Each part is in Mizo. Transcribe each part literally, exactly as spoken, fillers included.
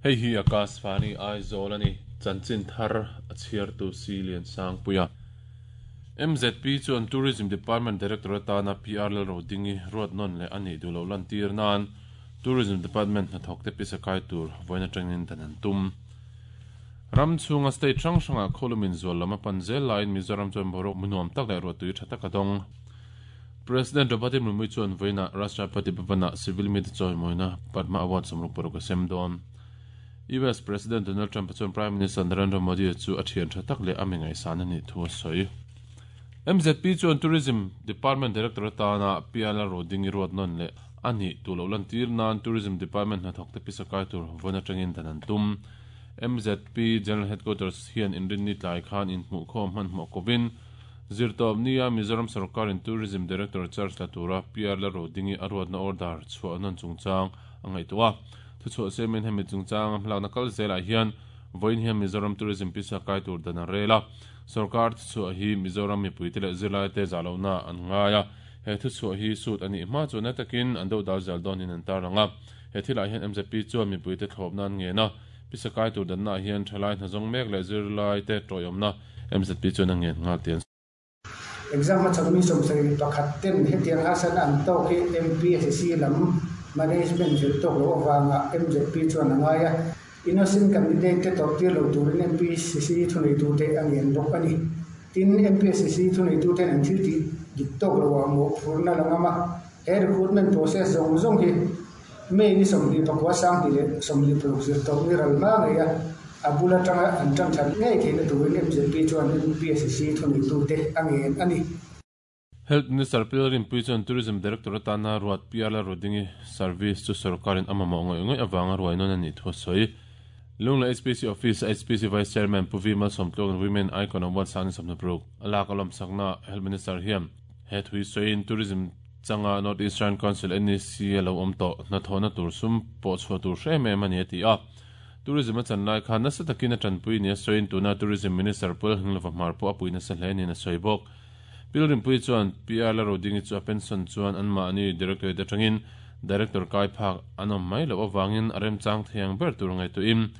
Hei hi Akashvani Aizawl ani chanchin thar a chhiartu si lian sang puia. M Z P chuan Tourism Department Director atana P R Lal Rodingi ruat non le ani dulo lan tir nan Tourism Department na thok te pisakai tur voina tangin dan tum. Ram chunga state rang ranga kholumin zual lama panzel line Mizoram chuan borok munuam tak le rotui thatak adong. President Draupadi Murmu chuan voina Rashtrapati Bhavana Civil Meet choi moina Padma Award samruk porok sem don. U S President Donald Trump chuan Prime Minister Narendra Modi chu a thian thatak le amingai san ani thu soi. M Z P chuan Tourism Department Director atana P R Rodingi ruat non le ani tulo lan tir nan Tourism Department na thok te pisakai tur voina tangin dan tum. M Z P General Headquarters hian inrin ni tlai khan in hmu khom han hmu kovin zirtawp nia Mizoram Sarkar in Tourism Director Charles Latura P R Rodingi aruat na order chhuah non chungchang angai tuwa thu chhuah semen hemi chungchang hmlak na kal zela hian voin hian Mizoram Tourism pisakai tur dana rela Sarkar chhuah hi Mizoram mipui te leh zirlai te zalona an ngaia he thu chhuah hi sut ani hma chu na takin an do dal zal don in an taranga he thila hian M Z P chuan mipui te thlawp nan nge na pisakai tur dan na hian thalai hna zawng mek leh zirlai te tawihawm na M Z P chuan a ngen nghal tian. Exam ma chawmi sawmsarih pakhat ten hetiang hasan an tawk hi M P S C lam management zir tawk lo awanga M Z P chuan a ngai a innocent candidate te tawrh tir lo turin M P S C thunei tu te a ngen bawk ani. Tin M P S C thunei tu ten an thil tih dik tawk lo ah mawh phurna langama he recruitment process zawng zawng hi May ni sawmhnih pakua sang ti leh sawmhnih paruk zir tawk ni ral hma ngei a abula tanga an tang that ngei theihna turin M Z P chuan M P S C thunei tu te a ngen ani. Health Minister Pilrin Pui chuan Tourism Director atana ruat P R Rodingi service chu sarkarin amamo ngoi ngoi awanga ruai non ani thu soi. Lungla H P C Office H P C Vice Chairman Puvi Malsawmtluang Women Icon Award sang samna pruk alak alom sakna Health Minister hiam he thui soin Tourism changa North Eastern Council N E C lo om to na thona tur sum po chho tur hre me mani ati a tourism chan lai khan na satakina tanpui ne soin tuna Tourism Minister Pul Hinglova marpo apuina sa hle ni na soibok Pilrim Pui chuan P R Rodingi chu a pension chuan an ma ani director te tangin director kai phak anom mai lo awangin arem chang thiang ber tur ngai tu im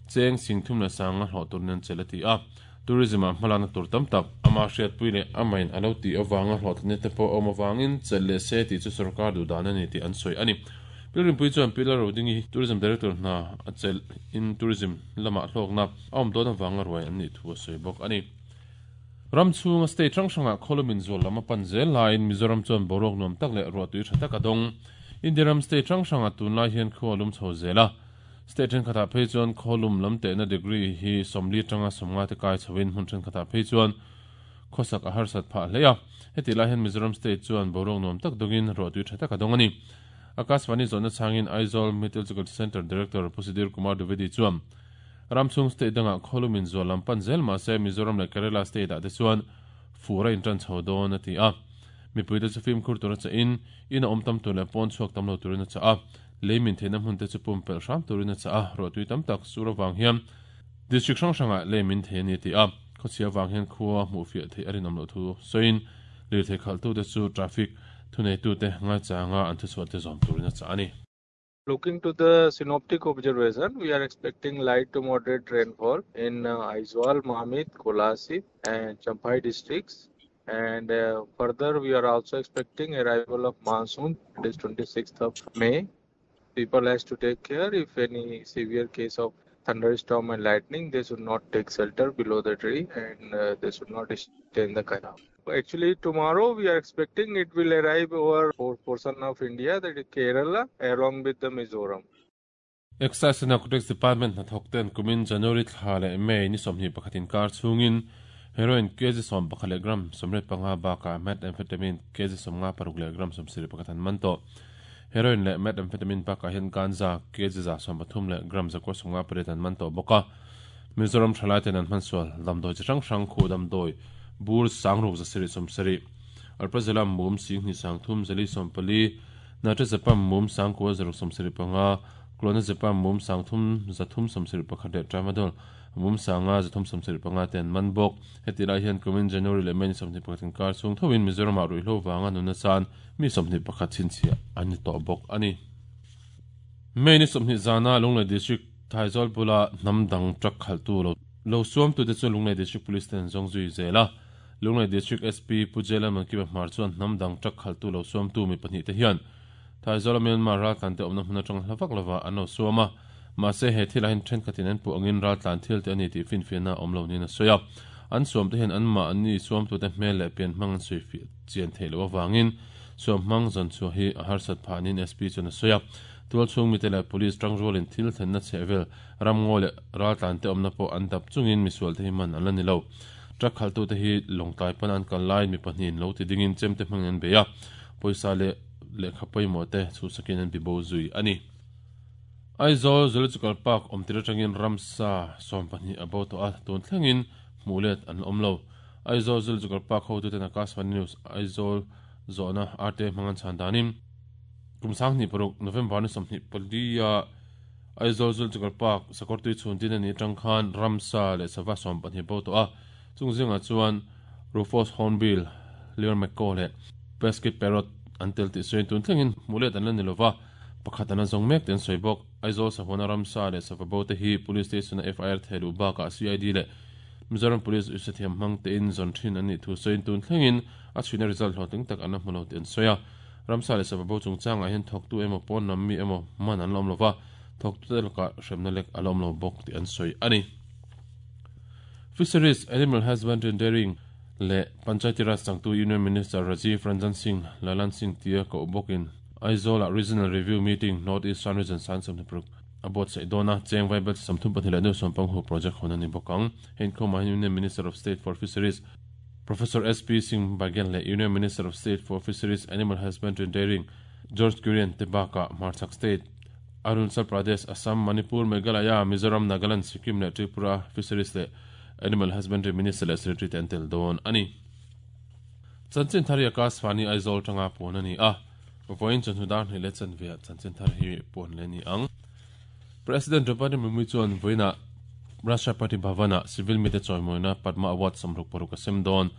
cheng singthum la sanga hlo tur nen chelati a tourism a hmalana tur tam tak ama hriat pui le amain alo ti awanga hlo thne te po awm awangin chelle se ti chu sarkar du dan ani ti an soi ani. Pilrim Pui chuan P R Rodingi Tourism Director na a chel in tourism lama hlok na awm don awanga ruai an ni thu a soi bawk ani. Ram chunga state rang ranga kholumin zual lama panzel lain Mizoram chuan borok nuam tak leh ruatui tha tak adong. India ram state rang ranga tunlai hian khualum chho zela state then khatah phei chuan kholum lam te na degree hi sawmli tanga sawmnga te kai chhoin hmun then khatah phei chuan khosak a harsat phah hle a heti lai hian Mizoram state chuan borok nuam tak dongin ruatui tha tak adong ani. Akashvani zona changin Aizawl Meteorological Center Director Pusidir Kumar Dwivedi chuan Ramchung state danga kholumin zual lam panzel ma se Mizoram le Kerala state ah te chuan fura in tan chho dawn ati a mipui te chu fim khur tur cha in in a awm tam tur leh pawn chhuak tam lo turin a cha a leimin theihna hmun te chu pum pelh hram turin a cha a ruahtui tam tak sur awang hian district hrang hrangah leimin thei ani ti a khawchhia awang hian khua hmuh fiah theih a rinawm loh thu sawiin lirthei khalh tu te chu traffic thunei tu te ngai changa an thu chhuah te zawm turin a cha ani. Looking to the synoptic observation, we are expecting light to moderate rainfall in uh, Aizawl, Mamit, Kolasib and Champhai districts. And uh, further, we are also expecting arrival of monsoon, it is twenty-sixth of May. People has to take care if any severe case of thunderstorm and lightning, they should not take shelter below the tree and uh, they should not stay in the canal. Actually, tomorrow we are expecting it will arrive over four portion of India, that is Kerala, along with the Mizoram. Excise and Narcotics Department na thokten kumin January thla le May ni sawmhnih pakhatin kar chungin heroin kg sawm pakhat leh gram sawmriat panga bakah methamphetamine kg sawmnga paruk leh gram sawmsarih pakhat an man tawh. Heroin leh methamphetamine bakah hian ganja kg za sawm pathum leh gram zakua sawmnga pariat an man tawh bawk a. Mizoram thalai ten an hmansual damdawi chi hrang hrang khu damdawi bur sangruk zasari sawmsarih alprazolam mum singhnih sang thum zali sawmpali nitrazepam mum sangkua zaruk sawmsarih panga clonazepam mum sang thum zathum sawmsarih pakhat leh tramadol mum sanga zathum sawmsarih panga ten man bawk. Heti lai hian kumin January leh May ni sawmhnih pakhatin kar chung thawin Mizoram ah ruihhlo wanga nuna chan mi sawmhnih pakhat chhinchhiah an ni tawh bawk ani. May ni sawmhnih zana Lunglei district Thaizol bula namdang truck khaltu lo lo suam tu te chu Lunglei District Police ten zong zui zela Lunglei District S P Pujela Mankiba Hmar chuan namdang truck khaltu lo suam tu mi pahnih te hian Thaizol Myanmar ral tlan te awmna hmun atang hlavak lova an lo suama ma se he thil ahin then khatin an pu angin ral tlan thil te ani ti fin fiana awm lo ni na soya an suam te hian an ma ani suam tu te hmel leh pian hmang an sui fi chian thei lo awangin suam hmang zon chu hi a harsat phanin S P chuan a soya tual chung mi te leh police tang rolin thil then na chevel ramngo le ral tlan te awmna pawh an dap chungin misual te hi man an la ni lo truck khaltu te hi longtlai pan an kal lai mi pahnih lo ti dingin chem te hmang an beia pawisa le le khapoi mo te chu sakin an bibo zui ani Aizawl Zoological Park awmtir atangin ramsa sawm pahnih a bo tawh a tun thlengin hmuhlet an awm lo Aizawl Zoological Park ho tu ten Akashvani News Aizawl zawhna R T hmang an chhan danin kumsang hnih paruk November ni sawmhnih palia Aizawl Zoological Park sakawrtui chhun tin ani atang khan ramsa leh sava sawm pahnih bo tawh a chung zingah chuan Rufous Hornbill Lear Macaw leh Pesky Parrot an tel tih sawiin tun thlengin hmuhlet an la ni lova pakhat an zawng mek ten sawi bawk Aizawl sahuna ramsa leh sava bo te hi police station a F I R theilu bakah C I D leh Mizoram Police usathiam hmang te in zawn thin an nih thu sawiin tun thlengin a chhuina result hlawhtling tak an la hmu lo ti an sawi a ramsa leh sava bo chungchangah hian thawktu emaw pawn lam mi emaw man an la awm lova thawktu te lakah hremna lek a la awm lo bawk tih an sawi ani Fisheries Animal Husbandry and Dairying le Panchayati Raj changtu Union Minister Rajiv Ranjan Singh Lalan Singh tia ko bawkin Aizawl Regional Review Meeting North Eastern Region San Samnipur abot sei dona cheng vaibel samthum pahnih leh nu sawmpang hu project hon ani bawkang hein khawmah hian Union Minister of State for Fisheries Professor S P Singh Baghel leh Union Minister of State for Fisheries Animal Husbandry and Dairying George Kurian te bakah Hmarchhak State Arunachal Pradesh Assam Manipur Meghalaya Mizoram Nagaland Sikkim leh Tripura Fisheries leh Animal Husbandry Minister leh Secretary te an tel dawn ani Chanchin thar hi Akashvani Aizawl tanga pawn ani a vawiin chawhnu dar hnih leh chanve ah chanchin thar hi pawn leh ni ang President Draupadi Murmu chuan vawiinah Rashtrapati Bhavana civil mi te chawimawina Padma Award samruk paruk a sem dawn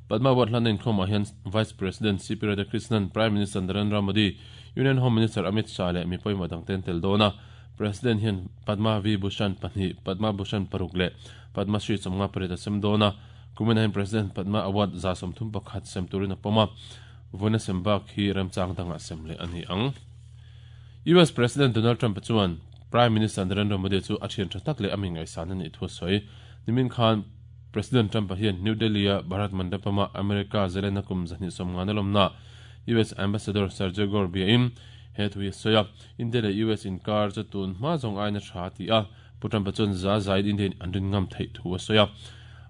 Padma Award hlan a inkhawmah hian Vice President C P Radhakrishnan Prime Minister Narendra Modi Union Home Minister Amit Shah leh mi pawimawh dang ten tel dawn a President hian Padma V Bhushan pahnih Padma Bhushan paruk leh Padma Shri chawmnga pariat a sem dawn a kumina hian President Padma Award za sawmthum pakhat sem turin a pawm a vawiina sem bak hi remchang dangah sem leh ani ang U S President Donald Trump chuan Prime Minister Narendra Modi chu a thian tha tak leh a mi ngaihsan ani thu sawi nimin khan President Trump hian New Delhi a Bharat Mandapama America zelena kum zahnih sawmnga na lawmna U S Ambassador Sergio Gor biain he thu hi sawi a India leh U S inkar chu tun hma zawng aina tha ti a Pu Trump chuan za zaid India an rin ngam theih thu a sawi a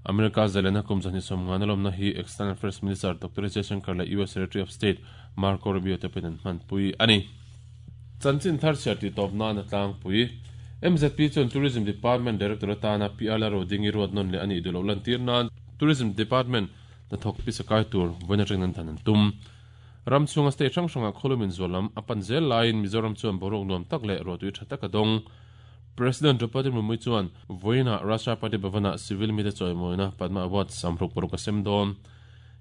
America zelena kum zahnih sawmnga na lawmna hi External Affairs Minister Doctor Jaishankar leh U S Secretary of State Marco Rubio te pawhin an hman pui ani Chanchin thar chhiar tih tawp nan a tlangpui M Z P chuan Tourism Department Director atana P R Rodingi ruat nawn leh ani duh lo lan tir nan Tourism Department hnathawk pisakai tur vawiin atangin an dan an tum Ramchhunga state hrang hrangah khawlumin zualam a pan zel laiin Mizoram chuan boruak nuam tak leh ruahtui tha tak a dawng President Draupadi Murmu chuan vawiinah Rashtrapati Bhavana civil mi te chawimawina Padma Award samruk paruk a sem dawn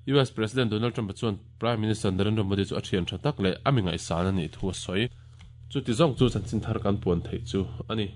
U S President Donald Trump chuan Prime Minister Narendra Modi chu a thian tha tak leh a mi ngaihsan ani thu a sawi chu ti zawng chu chanchin thar kan puan theih chu ani.